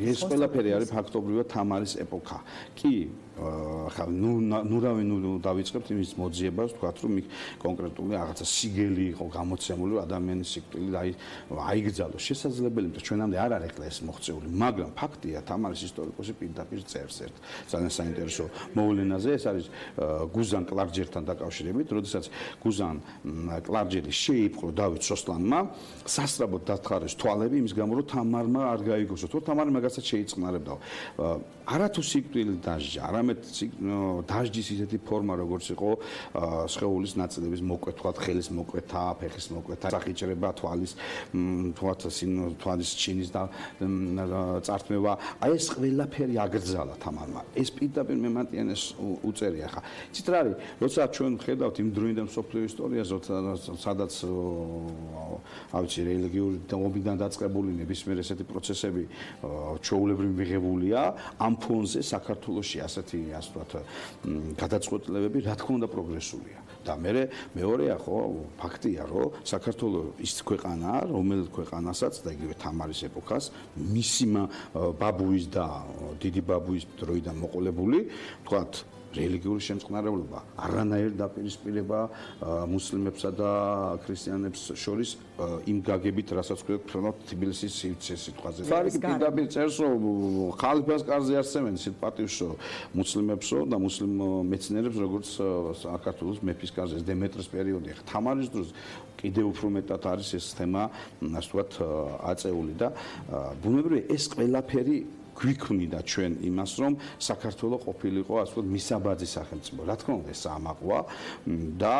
ეს ყველაფერი არის ფაქტობრივად თამარის ეპოქა. კი, ხა ნუ დავიწყებთ იმის მოძიებას, თქვათ რომ იქ კონკრეტული რაღაცა სიგელი იყო გამოცემული, ადამიანის სიკვდილი აიგრძალოს. შესაძლებელი, რომ ჩვენამდე არ არის ეს მოღწეული, მაგრამ ფაქტია, თამარის ისტორიკოსი პირდაპირ წერს ერთ ძალიან საინტერესო მოვლენაზე, ეს არის გუზან კლარჯერთან დაკავშირებით, როდესაც გუზან კლარჯერი შეიპყრო დავით სოსლანმა, სასწრაფოდ დათხარეს თვალები იმის გამო, რომ თამარმა არ გაიგოსო, თუ თამარი მაგასაც შეიწყნარებდა. არათუ სიკვდილი დასჯა, არამედ დასჯის ისეთი ფორმა, როგორც იყო სხეულის ნაწილების მოკვეთა, ხელის მოკვეთა, ფეხის მოკვეთა, სახიჭრება, თვალის ჩინის და წართმევა. აი ეს ყველაფერი აგრძალა თამარმა. ეს პირდაპირ მემატიანეს უწერია ხა. იცით რა არის? როცა ჩვენ ვხედავთ იმ დროინდელ მსოფლიო ისტორიაზე, სადაც ავიცი რელიგიური ომიდან დაწყებული ნებისმიერ ესეთი პროცესები ჩვეულებრივ მიღებულია, ამ ფონზე საქართველოში ასეთი ასე ვთქვათ გადაწყვეტილებები რა თქმა უნდა პროგრესულია. და მეორეა ხო ფაქტია, რომ საქართველოს ის ქვეყანაა, რომელიც ქვეყანასაც და იგივე თამარის ეპოქას მისი ბაბუის და დიდი ბაბუის დროიდან მოყოლებული, ვთქვათ რელიგიური შემწყნარებლობა, არანაირ დაპირისპირება მუსლიმებსა და ქრისტიანებს შორის იმ გაგებით, რასაც ქვია თბილისის სიტყვაზე. ფარიკი პირდაპირ წერს, რომ ხალიფას კარზე არსებენ სიტყვატივსო მუსლიმებსო და მუსლიმ მეცნიერებს, როგორც საქართველოს მეფის კარზე დემეტრეს პერიოდი. თამარის დროს კიდევ უფრო მეტად არის ეს თემა, ასე ვთქვათ, აწეული და ბუნებრივია ეს ყველაფერი გვიქმნიდა ჩვენ იმას, რომ საქართველოს ყოფილიყო ასე ვთქვათ მისაბაძი სახელმწიფო. რა თქმა უნდა, ეს ამაყვა და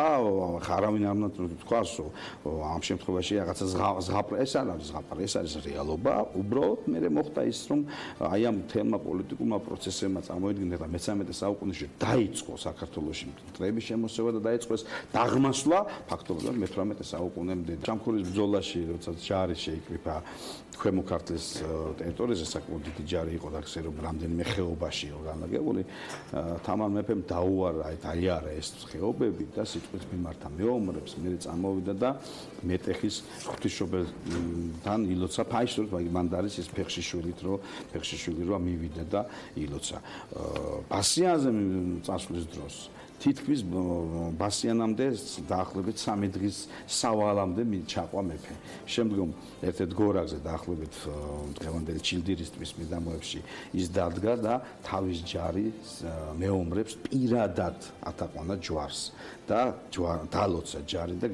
არავინ არ უნდა თქვას, რომ ამ შემთხვევაში რაღაცა ზღაპრა, ეს არ არის ზღაპრა, ეს არის რეალობა. უბრალოდ მე მოხდა ის, რომ აი ამ თემა პოლიტიკურმა პროცესებმა წარმოიდგინა და მე-13 საუკუნეში დაიწყო საქართველოში მტრების შემოსევა და დაიწყო ეს დაღმასვლა ფაქტობრივად მე-18 საუკუნემდე. ჩამქურის ბრძოლაში, როცა ჯარი შეიკრიფა ქვემო ქართლის ტერიტორიაზე, საკმაოდ დიდი ჯარი იყო და ხსე რომ რამდენიმე ხეობაში იყო განლაგებული. თამარ მეფემ დაუარა, დაიარა ეს ხეობები და სიტყვით მიმართა მეომრებს, მე წამოვიდა და მეტეხის ღვთისმშობელთან ილოცა ფაისურით, მან დარის ეს ფეხშიშვილით, რომ ფეხშიშვილი რა მივიდა და ილოცა. ბასიანზე წასვლის დროს თითქმის ბასიანამდე დაახლოებით 3 დღის სავალამდე ჩაყვა მეფე. შემდგომ ერთ-ერთ გორაგზე დაახლოებით დღევანდელი ჩილდირის ტბის მიდამოებში ის დადგა და თავის ჯარის მეომრებს პირადად ატაყვანა ჯვარს და დალოცა ჯარი და